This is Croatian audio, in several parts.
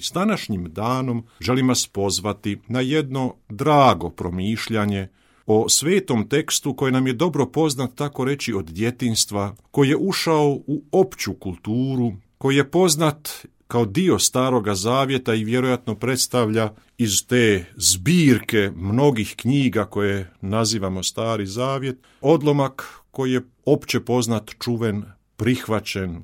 S današnjim danom želim vas pozvati na jedno drago promišljanje o svetom tekstu koji nam je dobro poznat, tako reći, od djetinjstva, koji je ušao u opću kulturu, koji je poznat kao dio Staroga zavjeta i vjerojatno predstavlja iz te zbirke mnogih knjiga koje nazivamo Stari zavjet, odlomak koji je opće poznat, čuven, prihvaćen.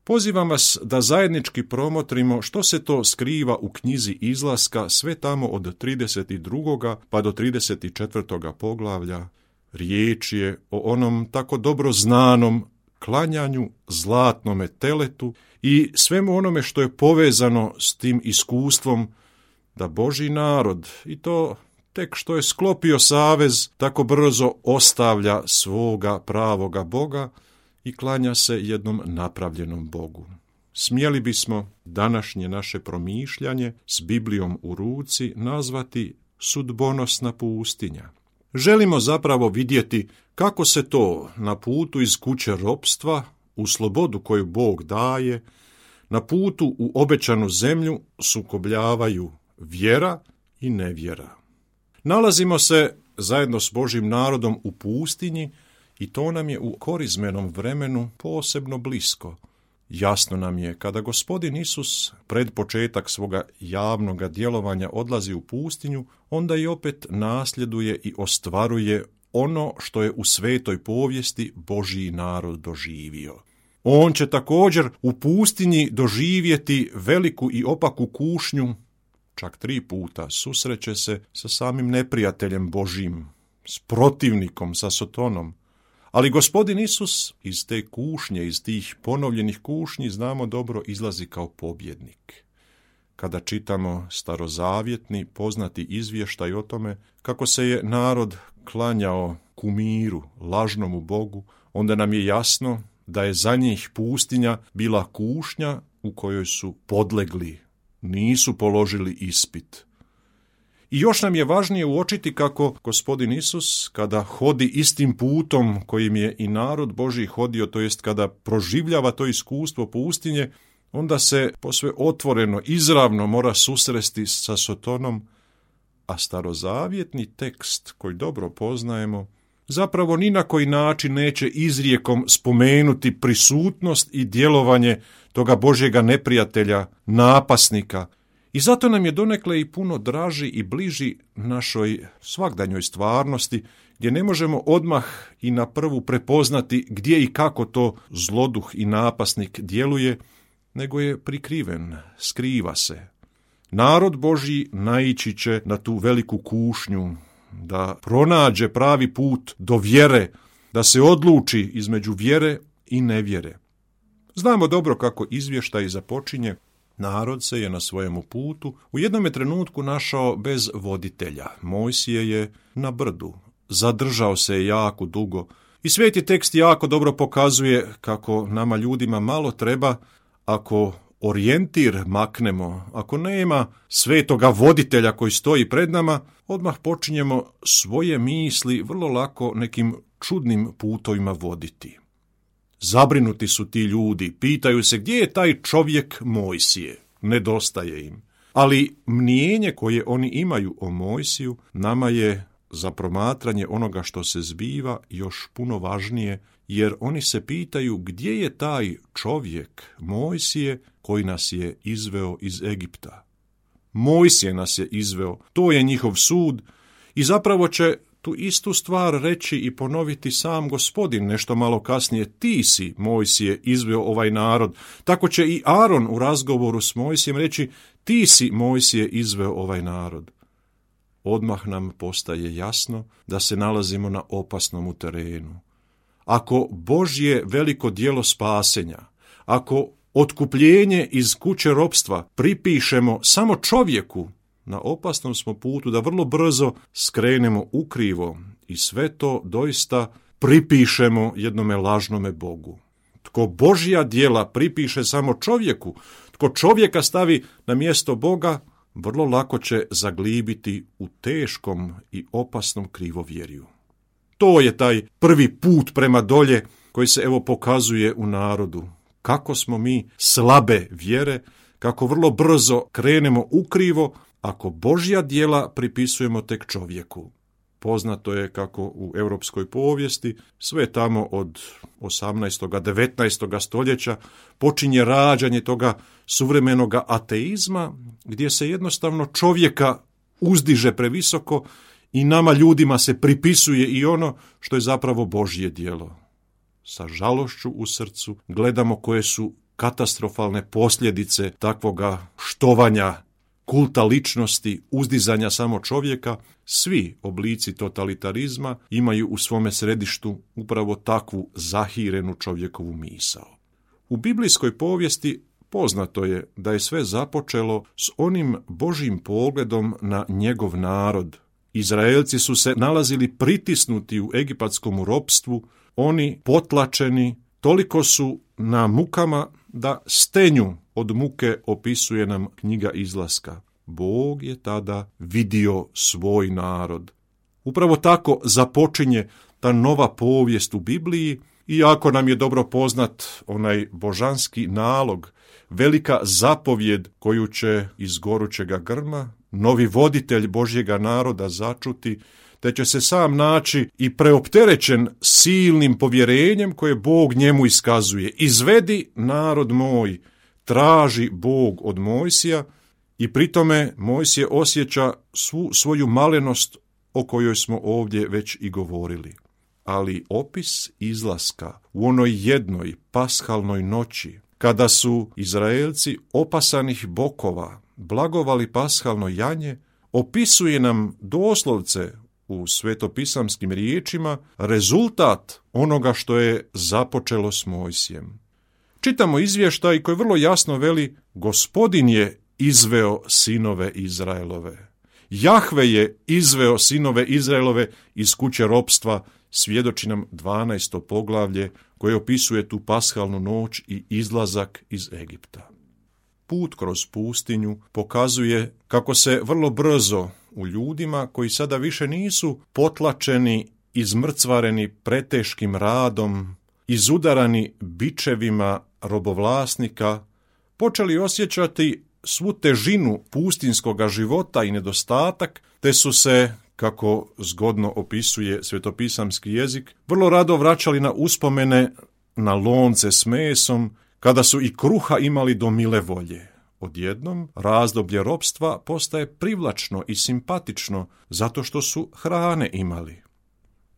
Pozivam vas da zajednički promotrimo što se to skriva u knjizi Izlaska, sve tamo od 32. pa do 34. poglavlja. Riječ je o onom tako dobro znanom klanjanju zlatnome teletu i svemu onome što je povezano s tim iskustvom da Božji narod, i to tek što je sklopio savez, tako brzo ostavlja svoga pravoga Boga i klanja se jednom napravljenom Bogu. Smjeli bismo današnje naše promišljanje s Biblijom u ruci nazvati sudbonosna pustinja. Želimo zapravo vidjeti kako se to na putu iz kuće ropstva, u slobodu koju Bog daje, na putu u obećanu zemlju sukobljavaju vjera i nevjera. Nalazimo se zajedno s Božjim narodom u pustinji i to nam je u korizmenom vremenu posebno blisko. Jasno nam je, kada Gospodin Isus pred početak svoga javnoga djelovanja odlazi u pustinju, onda i opet nasljeduje i ostvaruje ono što je u svetoj povijesti Božji narod doživio. On će također u pustinji doživjeti veliku i opaku kušnju, čak 3 puta susreće se sa samim neprijateljem Božjim, s protivnikom, sa Sotonom. Ali Gospodin Isus iz te kušnje, iz tih ponovljenih kušnji, znamo dobro, izlazi kao pobjednik. Kada čitamo starozavjetni poznati izvještaj o tome kako se je narod klanjao kumiru, lažnomu Bogu, onda nam je jasno da je za njih pustinja bila kušnja u kojoj su podlegli, nisu položili ispit. I još nam je važnije uočiti kako Gospodin Isus, kada hodi istim putom kojim je i narod Božji hodio, to jest kada proživljava to iskustvo pustinje, onda se posve otvoreno, izravno mora susresti sa Sotonom, a starozavjetni tekst koji dobro poznajemo zapravo ni na koji način neće izrijekom spomenuti prisutnost i djelovanje toga Božjega neprijatelja, napasnika. I zato nam je donekle i puno draži i bliži našoj svagdanjoj stvarnosti, gdje ne možemo odmah i na prvu prepoznati gdje i kako to zloduh i napasnik djeluje, nego je prikriven, skriva se. Narod Božji naići će na tu veliku kušnju, da pronađe pravi put do vjere, da se odluči između vjere i nevjere. Znamo dobro kako izvještaj započinje. Narod se je na svojemu putu u jednom trenutku našao bez voditelja. Mojsije je na brdu, zadržao se je jako dugo i sveti tekst jako dobro pokazuje kako nama ljudima malo treba ako orijentir maknemo, ako nema svetoga voditelja koji stoji pred nama, odmah počinjemo svoje misli vrlo lako nekim čudnim putovima voditi. Zabrinuti su ti ljudi, pitaju se gdje je taj čovjek Mojsije, nedostaje im. Ali mnijenje koje oni imaju o Mojsiju nama je za promatranje onoga što se zbiva još puno važnije, jer oni se pitaju gdje je taj čovjek Mojsije koji nas je izveo iz Egipta. Mojsije nas je izveo, to je njihov sud i zapravo će tu istu stvar reći i ponoviti sam Gospodin nešto malo kasnije. Ti si, Mojsije, izveo ovaj narod. Tako će i Aron u razgovoru s Mojsijem reći, ti si, Mojsije, izveo ovaj narod. Odmah nam postaje jasno da se nalazimo na opasnom terenu. Ako Božje veliko djelo spasenja, ako otkupljenje iz kuće ropstva pripišemo samo čovjeku, na opasnom smo putu da vrlo brzo skrenemo ukrivo i sve to doista pripišemo jednome lažnome Bogu. Tko Božja djela pripiše samo čovjeku, tko čovjeka stavi na mjesto Boga, vrlo lako će zaglibiti u teškom i opasnom krivovjerju. To je taj prvi put prema dolje koji se evo pokazuje u narodu. Kako smo mi slabe vjere, kako vrlo brzo krenemo ukrivo ako Božja djela pripisujemo tek čovjeku. Poznato je kako u europskoj povijesti sve tamo od 18. 19. stoljeća počinje rađanje toga suvremenog ateizma gdje se jednostavno čovjeka uzdiže previsoko i nama ljudima se pripisuje i ono što je zapravo Božje djelo. Sa žalošću u srcu gledamo koje su katastrofalne posljedice takvoga štovanja, kulta ličnosti, uzdizanja samo čovjeka. Svi oblici totalitarizma imaju u svome središtu upravo takvu zahirenu čovjekovu misao. U biblijskoj povijesti poznato je da je sve započelo s onim Božjim pogledom na njegov narod. Izraelci su se nalazili pritisnuti u egipatskom ropstvu, oni potlačeni, toliko su na mukama da stenju od muke opisuje nam knjiga Izlaska. Bog je tada vidio svoj narod. Upravo tako započinje ta nova povijest u Bibliji, iako nam je dobro poznat onaj božanski nalog, velika zapovjed koju će iz gorućega grma novi voditelj Božjega naroda začuti, te će se sam naći i preopterećen silnim povjerenjem koje Bog njemu iskazuje. Izvedi narod moj, traži Bog od Mojsija i pritome Mojsije osjeća svu svoju malenost o kojoj smo ovdje već i govorili. Ali opis izlaska u onoj jednoj pashalnoj noći, kada su Izraelci opasanih bokova blagovali pashalno janje, opisuje nam doslovce u svetopisamskim riječima rezultat onoga što je započelo s Mojsijem. Čitamo izvještaj koji vrlo jasno veli: Gospodin je izveo sinove Izraelove. Jahve je izveo sinove Izraelove iz kuće ropstva, svjedoči nam 12. poglavlje koje opisuje tu pashalnu noć i izlazak iz Egipta. Put kroz pustinju pokazuje kako se vrlo brzo u ljudima koji sada više nisu potlačeni, izmrcvareni preteškim radom, izudarani bičevima robovlasnika, počeli osjećati svu težinu pustinskoga života i nedostatak, te su se, kako zgodno opisuje svetopisamski jezik, vrlo rado vraćali na uspomene na lonce s mesom, kada su i kruha imali do mile volje. Odjednom razdoblje ropstva postaje privlačno i simpatično zato što su hrane imali.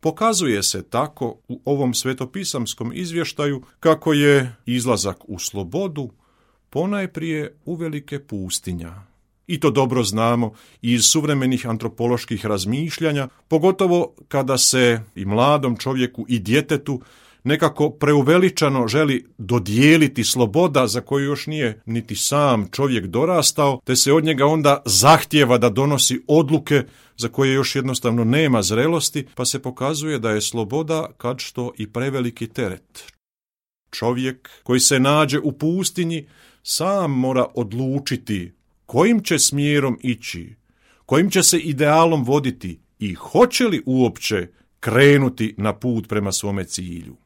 Pokazuje se tako u ovom svetopisamskom izvještaju kako je izlazak u slobodu ponajprije uvelike pustinja. I to dobro znamo iz suvremenih antropoloških razmišljanja, pogotovo kada se i mladom čovjeku i djetetu nekako preuveličano želi dodijeliti sloboda za koju još nije niti sam čovjek dorastao, te se od njega onda zahtijeva da donosi odluke za koje još jednostavno nema zrelosti, pa se pokazuje da je sloboda kad što i preveliki teret. Čovjek koji se nađe u pustinji sam mora odlučiti kojim će smjerom ići, kojim će se idealom voditi i hoće li uopće krenuti na put prema svome cilju.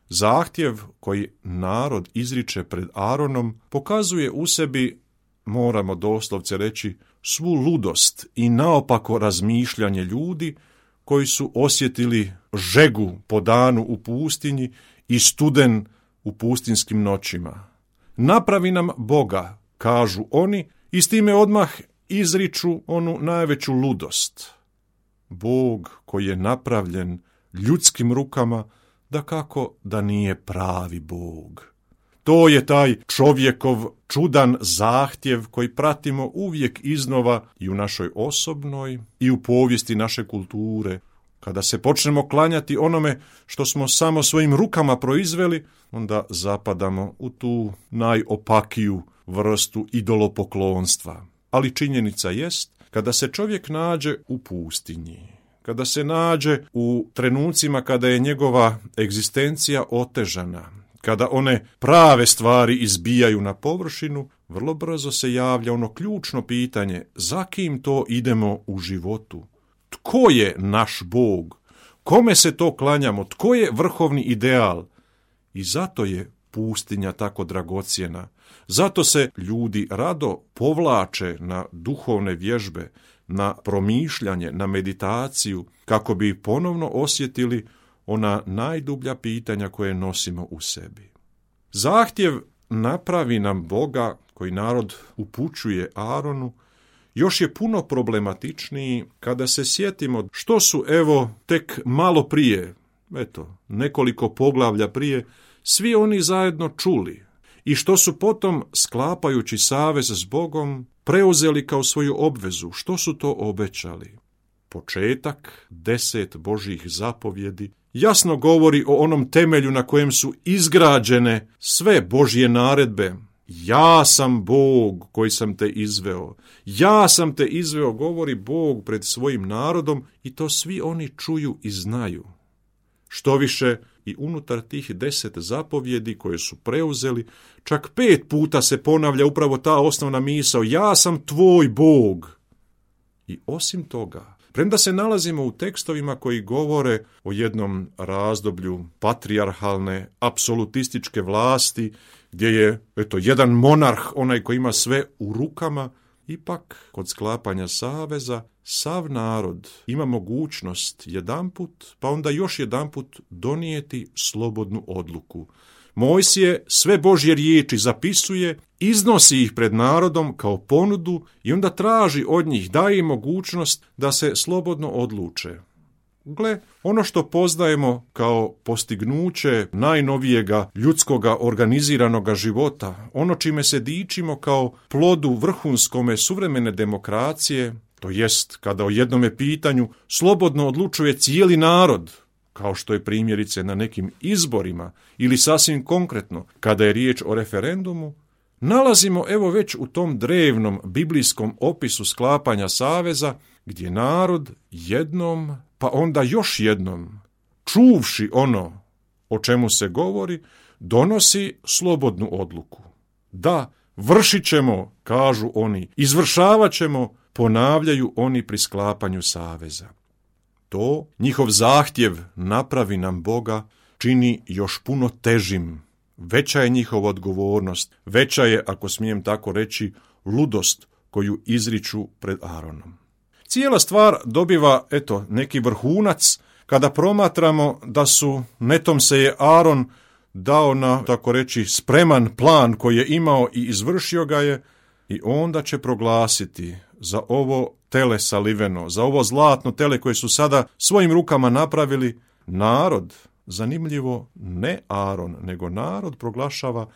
Zahtjev koji narod izriče pred Aronom pokazuje u sebi, moramo doslovce reći, svu ludost i naopako razmišljanje ljudi koji su osjetili žegu po danu u pustinji i studen u pustinskim noćima. Napravi nam Boga, kažu oni, i s time odmah izriču onu najveću ludost. Bog koji je napravljen ljudskim rukama, dakako da nije pravi Bog. To je taj čovjekov čudan zahtjev koji pratimo uvijek iznova i u našoj osobnoj i u povijesti naše kulture. Kada se počnemo klanjati onome što smo samo svojim rukama proizveli, onda zapadamo u tu najopakiju vrstu idolopoklonstva. Ali činjenica jest, kada se čovjek nađe u pustinji, kada se nađe u trenucima kada je njegova egzistencija otežana, kada one prave stvari izbijaju na površinu, vrlo brzo se javlja ono ključno pitanje: za kim to idemo u životu? Tko je naš Bog? Kome se to klanjamo? Tko je vrhovni ideal? I zato je pustinja tako dragocjena. Zato se ljudi rado povlače na duhovne vježbe, na promišljanje, na meditaciju, kako bi ponovno osjetili ona najdublja pitanja koje nosimo u sebi. Zahtjev napravi nam Boga, koji narod upućuje Aronu, još je puno problematičniji kada se sjetimo što su, tek malo prije, nekoliko poglavlja prije, svi oni zajedno čuli i što su potom, sklapajući savez s Bogom, preuzeli kao svoju obvezu. Što su to obećali? Početak 10 Božjih zapovjedi jasno govori o onom temelju na kojem su izgrađene sve Božje naredbe. Ja sam Bog koji sam te izveo. Ja sam te izveo, govori Bog pred svojim narodom, i to svi oni čuju i znaju. Štoviše, i unutar tih 10 zapovjedi koje su preuzeli, čak 5 puta se ponavlja upravo ta osnovna misao: ja sam tvoj Bog. I osim toga, premda se nalazimo u tekstovima koji govore o jednom razdoblju patrijarhalne, apsolutističke vlasti, gdje je, jedan monarh, onaj koji ima sve u rukama, ipak kod sklapanja saveza sav narod ima mogućnost jedanput, pa onda još jedanput donijeti slobodnu odluku. Mojsije sve Božje riječi zapisuje, iznosi ih pred narodom kao ponudu i onda traži od njih, daje im mogućnost da se slobodno odluče. Gle, ono što poznajemo kao postignuće najnovijega ljudskoga organiziranoga života, ono čime se dičimo kao plodu vrhunskome suvremene demokracije, to jest kada o jednome pitanju slobodno odlučuje cijeli narod, kao što je primjerice na nekim izborima ili sasvim konkretno kada je riječ o referendumu, nalazimo već u tom drevnom biblijskom opisu sklapanja saveza, gdje narod jednom, pa onda još jednom, čuvši ono o čemu se govori, donosi slobodnu odluku. Da, vršit ćemo, kažu oni, izvršavat ćemo, ponavljaju oni pri sklapanju saveza. To njihov zahtjev napravi nam Boga čini još puno težim. Veća je njihova odgovornost, veća je, ako smijem tako reći, ludost koju izriču pred Aronom. Cijela stvar dobiva, neki vrhunac kada promatramo da su, netom se je Aron dao na, tako reći, spreman plan koji je imao i izvršio ga je, i onda će proglasiti za ovo tele saliveno, za ovo zlatno tele koje su sada svojim rukama napravili, narod, zanimljivo, ne Aron, nego narod proglašava: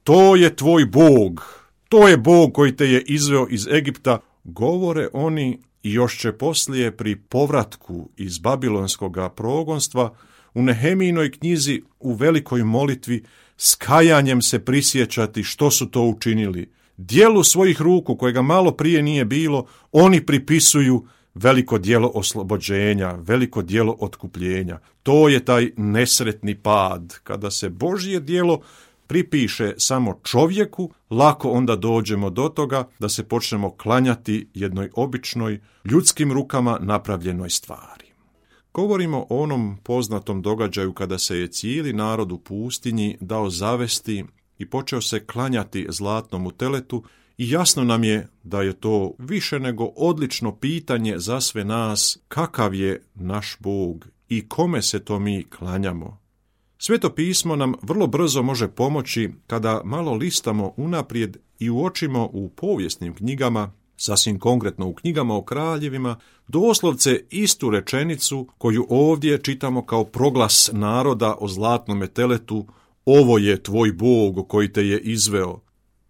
to je tvoj Bog, to je Bog koji te je izveo iz Egipta. Govore oni i još će poslije pri povratku iz babilonskoga progonstva u Nehemijinoj knjizi u velikoj molitvi s kajanjem se prisjećati što su to učinili. Dijelu svojih ruku, kojega malo prije nije bilo, oni pripisuju veliko djelo oslobođenja, veliko djelo otkupljenja. To je taj nesretni pad. Kada se Božje djelo pripiše samo čovjeku, lako onda dođemo do toga da se počnemo klanjati jednoj običnoj, ljudskim rukama napravljenoj stvari. Govorimo o onom poznatom događaju kada se je cijeli narod u pustinji dao zavesti i počeo se klanjati zlatnom teletu, i jasno nam je da je to više nego odlično pitanje za sve nas: kakav je naš Bog i kome se to mi klanjamo. Sveto pismo nam vrlo brzo može pomoći kada malo listamo unaprijed i uočimo u povijesnim knjigama, sasvim konkretno u knjigama o kraljevima, doslovce istu rečenicu koju ovdje čitamo kao proglas naroda o zlatnome teletu: ovo je tvoj Bog koji te je izveo.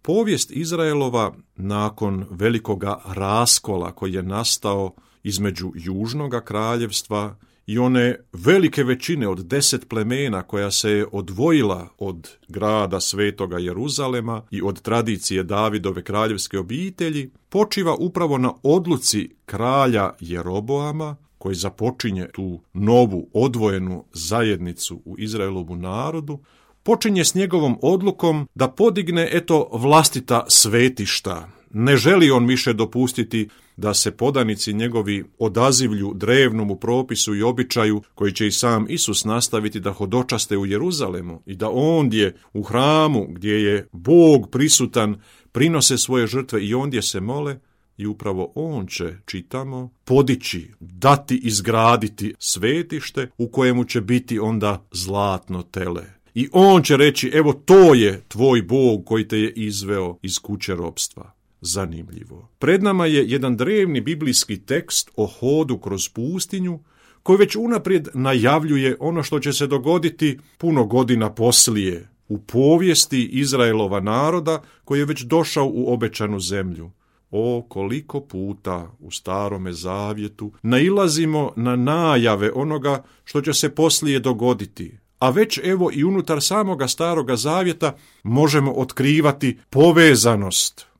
Povijest Izraelova nakon velikoga raskola koji je nastao između južnoga kraljevstva i one velike većine od 10 plemena koja se je odvojila od grada svetoga Jeruzalema i od tradicije Davidove kraljevske obitelji, počiva upravo na odluci kralja Jeroboama, koji započinje tu novu odvojenu zajednicu u Izraelovu narodu, počinje s njegovom odlukom da podigne vlastita svetišta, Ne želi on više dopustiti da se podanici njegovi odazivlju drevnomu propisu i običaju koji će i sam Isus nastaviti da hodočaste u Jeruzalemu i da ondje u hramu gdje je Bog prisutan prinose svoje žrtve i ondje se mole. I upravo on će, čitamo, podići, dati, izgraditi svetište u kojemu će biti onda zlatno tele. I on će reći, evo to je tvoj Bog koji te je izveo iz kuće ropstva. Zanimljivo. Pred nama je jedan drevni biblijski tekst o hodu kroz pustinju koji već unaprijed najavljuje ono što će se dogoditi puno godina poslije u povijesti Izraelova naroda koji je već došao u obećanu zemlju. O, koliko puta u Starome zavjetu nailazimo na najave onoga što će se poslije dogoditi. A već evo i unutar samoga Staroga zavjeta možemo otkrivati povezanost.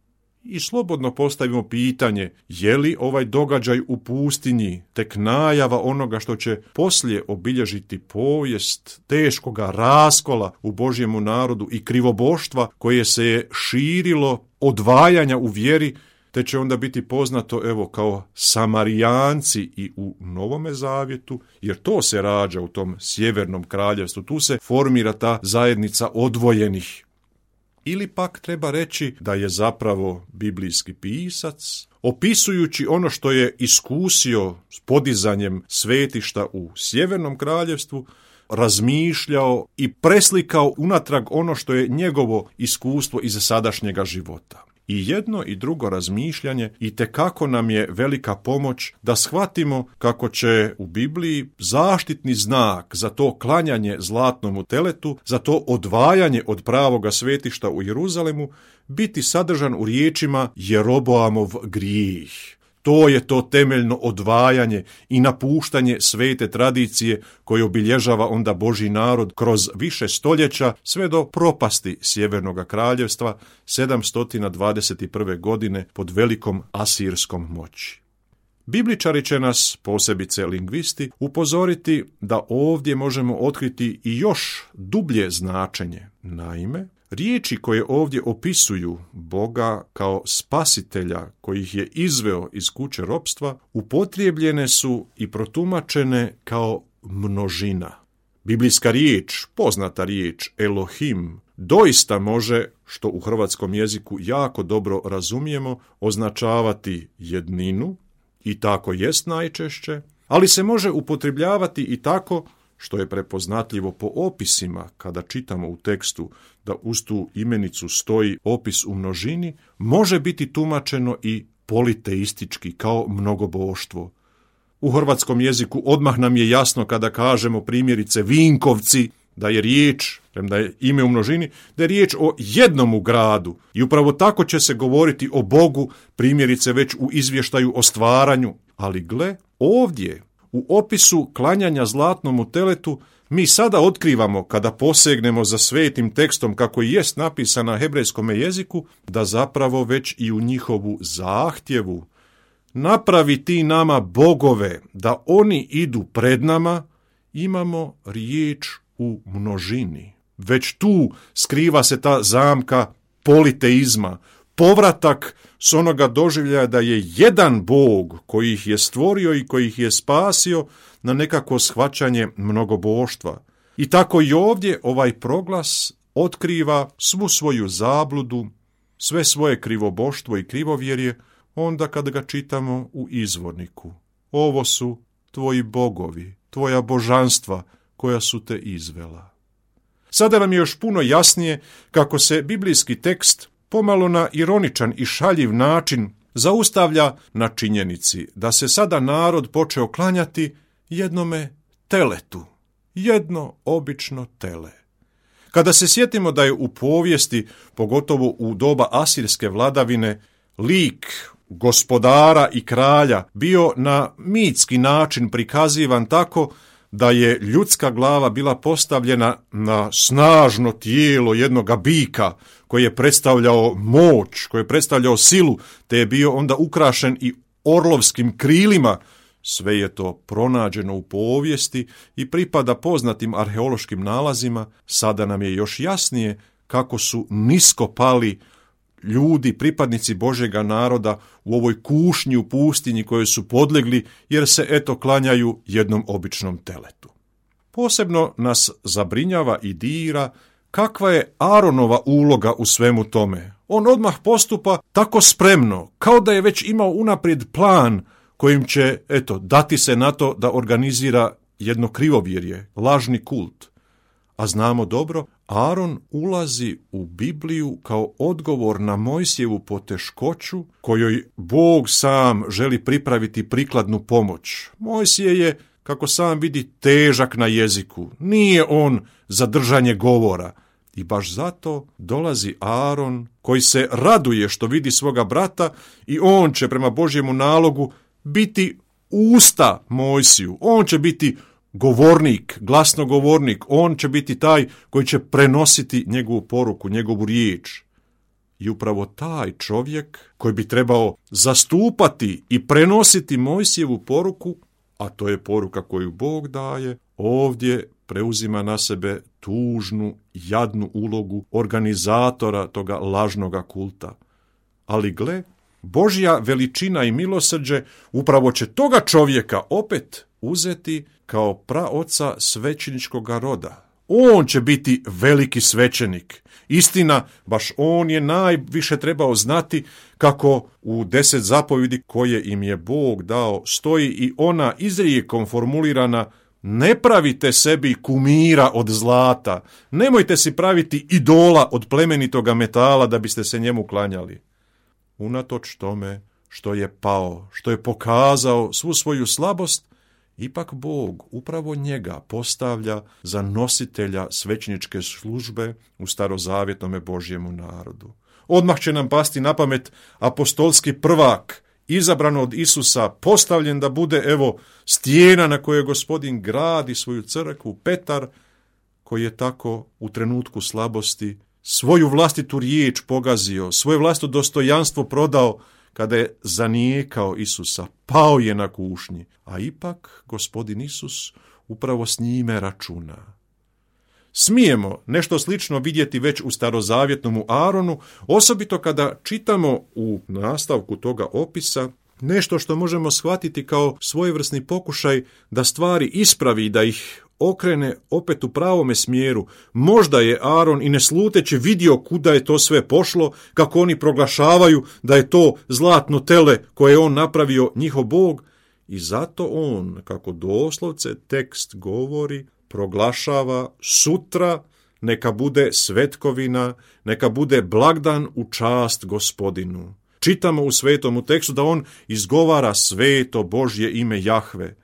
I slobodno postavimo pitanje, je li ovaj događaj u pustinji tek najava onoga što će poslije obilježiti povijest teškoga raskola u Božjemu narodu i krivoboštva koje se je širilo, odvajanja u vjeri, te će onda biti poznato evo kao Samarijanci i u Novome zavjetu, jer to se rađa u tom sjevernom kraljevstvu, tu se formira ta zajednica odvojenih. Ili pak treba reći da je zapravo biblijski pisac, opisujući ono što je iskusio s podizanjem svetišta u sjevernom kraljevstvu, razmišljao i preslikao unatrag ono što je njegovo iskustvo iz sadašnjega života. I jedno i drugo razmišljanje itekako nam je velika pomoć da shvatimo kako će u Bibliji zaštitni znak za to klanjanje zlatnomu teletu, za to odvajanje od pravoga svetišta u Jeruzalemu biti sadržan u riječima Jeroboamov grijeh. To je to temeljno odvajanje i napuštanje svete tradicije koje obilježava onda Božji narod kroz više stoljeća sve do propasti Sjevernog kraljevstva 721. godine pod velikom asirskom moći. Bibličari će nas, posebice lingvisti, upozoriti da ovdje možemo otkriti i još dublje značenje. Naime, riječi koje ovdje opisuju Boga kao spasitelja koji ih je izveo iz kuće ropstva upotrijebljene su i protumačene kao množina. Biblijska riječ, poznata riječ Elohim, doista može, što u hrvatskom jeziku jako dobro razumijemo, označavati jedninu i tako jest najčešće, ali se može upotrebljavati i tako što je prepoznatljivo po opisima kada čitamo u tekstu da uz tu imenicu stoji opis u množini, može biti tumačeno i politeistički kao mnogoboštvo. U hrvatskom jeziku odmah nam je jasno kada kažemo primjerice Vinkovci, da je riječ, da je ime u množini, da je riječ o jednomu gradu. I upravo tako će se govoriti o Bogu, primjerice već u izvještaju o stvaranju. Ali gle, ovdje u opisu klanjanja zlatnomu teletu mi sada otkrivamo, kada posegnemo za svetim tekstom kako i jest napisan na hebrejskom jeziku, da zapravo već i u njihovu zahtjevu napravi ti nama bogove, da oni idu pred nama, imamo riječ u množini. Već tu skriva se ta zamka politeizma, povratak s onoga doživljaja da je jedan Bog koji ih je stvorio i koji ih je spasio na nekako shvaćanje mnogoboštva. I tako i ovdje ovaj proglas otkriva svu svoju zabludu, sve svoje krivoboštvo i krivovjerje onda kad ga čitamo u izvorniku. Ovo su tvoji bogovi, tvoja božanstva koja su te izvela. Sada nam je još puno jasnije kako se biblijski tekst pomalo na ironičan i šaljiv način zaustavlja na činjenici da se sada narod počeo klanjati jednome teletu, jedno obično tele. Kada se sjetimo da je u povijesti, pogotovo u doba asirske vladavine, lik gospodara i kralja bio na mitski način prikazivan tako da je ljudska glava bila postavljena na snažno tijelo jednoga bika koji je predstavljao moć, koji je predstavljao silu, te je bio onda ukrašen i orlovskim krilima. Sve je to pronađeno u povijesti i pripada poznatim arheološkim nalazima. Sada nam je još jasnije kako su nisko pali ljudi, pripadnici Božjega naroda u ovoj kušnji u pustinji koje su podlegli jer se klanjaju jednom običnom teletu. Posebno nas zabrinjava i dira kakva je Aronova uloga u svemu tome. On odmah postupa tako spremno, kao da je već imao unaprijed plan kojim će, dati se na to da organizira jedno krivovjerje, lažni kult. A znamo dobro, Aron ulazi u Bibliju kao odgovor na Mojsijevu poteškoću kojoj Bog sam želi pripraviti prikladnu pomoć. Mojsije je, kako sam vidi, težak na jeziku. Nije on za držanje govora. I baš zato dolazi Aron koji se raduje što vidi svoga brata i on će prema Božjemu nalogu biti usta Mojsiju. On će biti govornik, glasnogovornik. On će biti taj koji će prenositi njegovu poruku, njegovu riječ. I upravo taj čovjek koji bi trebao zastupati i prenositi Mojsijevu poruku, a to je poruka koju Bog daje, ovdje preuzima na sebe tužnu, jadnu ulogu organizatora toga lažnoga kulta. Ali gle, Božja veličina i milosrđe upravo će toga čovjeka opet uzeti kao praoca svećeničkoga roda. On će biti veliki svećenik. Istina, baš on je najviše trebao znati kako u 10 zapovjedi koje im je Bog dao stoji i ona izrijekom formulirana: ne pravite sebi kumira od zlata, nemojte si praviti idola od plemenitoga metala da biste se njemu klanjali. Unatoč tome što je pao, što je pokazao svu svoju slabost, ipak Bog upravo njega postavlja za nositelja svećeničke službe u starozavjetnome Božjemu narodu. Odmah će nam pasti na pamet apostolski prvak, izabran od Isusa, postavljen da bude, stijena na kojoj Gospodin gradi svoju crkvu, Petar, koji je tako u trenutku slabosti svoju vlastitu riječ pogazio, svoje vlastito dostojanstvo prodao kada je zanijekao Isusa, pao je na kušnji, a ipak Gospodin Isus upravo s njime računa. Smijemo nešto slično vidjeti već u starozavjetnom Aronu, osobito kada čitamo u nastavku toga opisa nešto što možemo shvatiti kao svojevrsni pokušaj da stvari ispravi i da ih okrene opet u pravome smjeru. Možda je Aron i ne sluteći vidio kuda je to sve pošlo, kako oni proglašavaju da je to zlatno tele koje je on napravio njihov Bog, i zato on, kako doslovce tekst govori, proglašava sutra neka bude svetkovina, neka bude blagdan u čast Gospodinu. Čitamo u svetomu tekstu da on izgovara sveto Božje ime Jahve.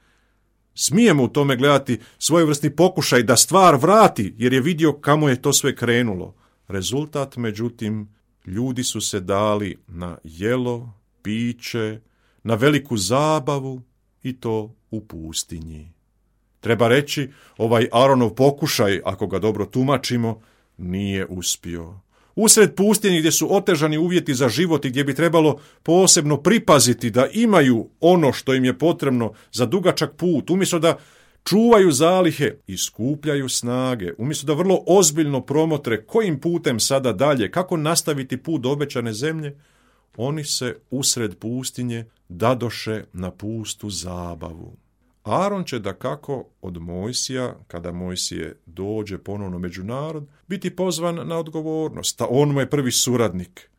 Smijemo u tome gledati svojevrsni pokušaj da stvar vrati, jer je vidio kamo je to sve krenulo. Rezultat, međutim, ljudi su se dali na jelo, piće, na veliku zabavu i to u pustinji. Treba reći, ovaj Aronov pokušaj, ako ga dobro tumačimo, nije uspio. Usred pustinje gdje su otežani uvjeti za život i gdje bi trebalo posebno pripaziti da imaju ono što im je potrebno za dugačak put, umjesto da čuvaju zalihe i skupljaju snage, umjesto da vrlo ozbiljno promotre kojim putem sada dalje, kako nastaviti put do obećane zemlje, oni se usred pustinje dadoše na pustu zabavu. Aron će dakako od Mojsija, kada Mojsije dođe ponovno među narod, biti pozvan na odgovornost, a on mu je prvi suradnik.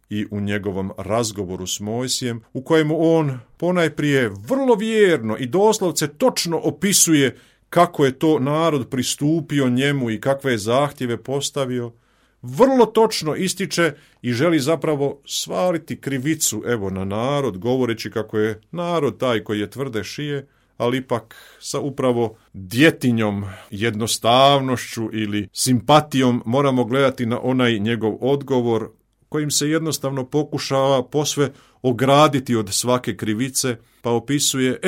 I u njegovom razgovoru s Mojsijem, u kojemu on ponajprije vrlo vjerno i doslovce točno opisuje kako je to narod pristupio njemu i kakve je zahtjeve postavio, vrlo točno ističe i želi zapravo svaliti krivicu na narod, govoreći kako je narod taj koji je tvrde šije, ali ipak sa upravo djetinjom, jednostavnošću ili simpatijom moramo gledati na onaj njegov odgovor kojim se jednostavno pokušava posve ograditi od svake krivice, pa opisuje,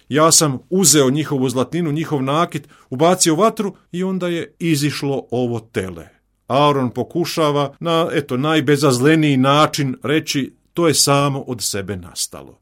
ja sam uzeo njihovu zlatninu, njihov nakit, ubacio vatru i onda je izišlo ovo tele. Aron pokušava na najbezazleniji način reći, to je samo od sebe nastalo.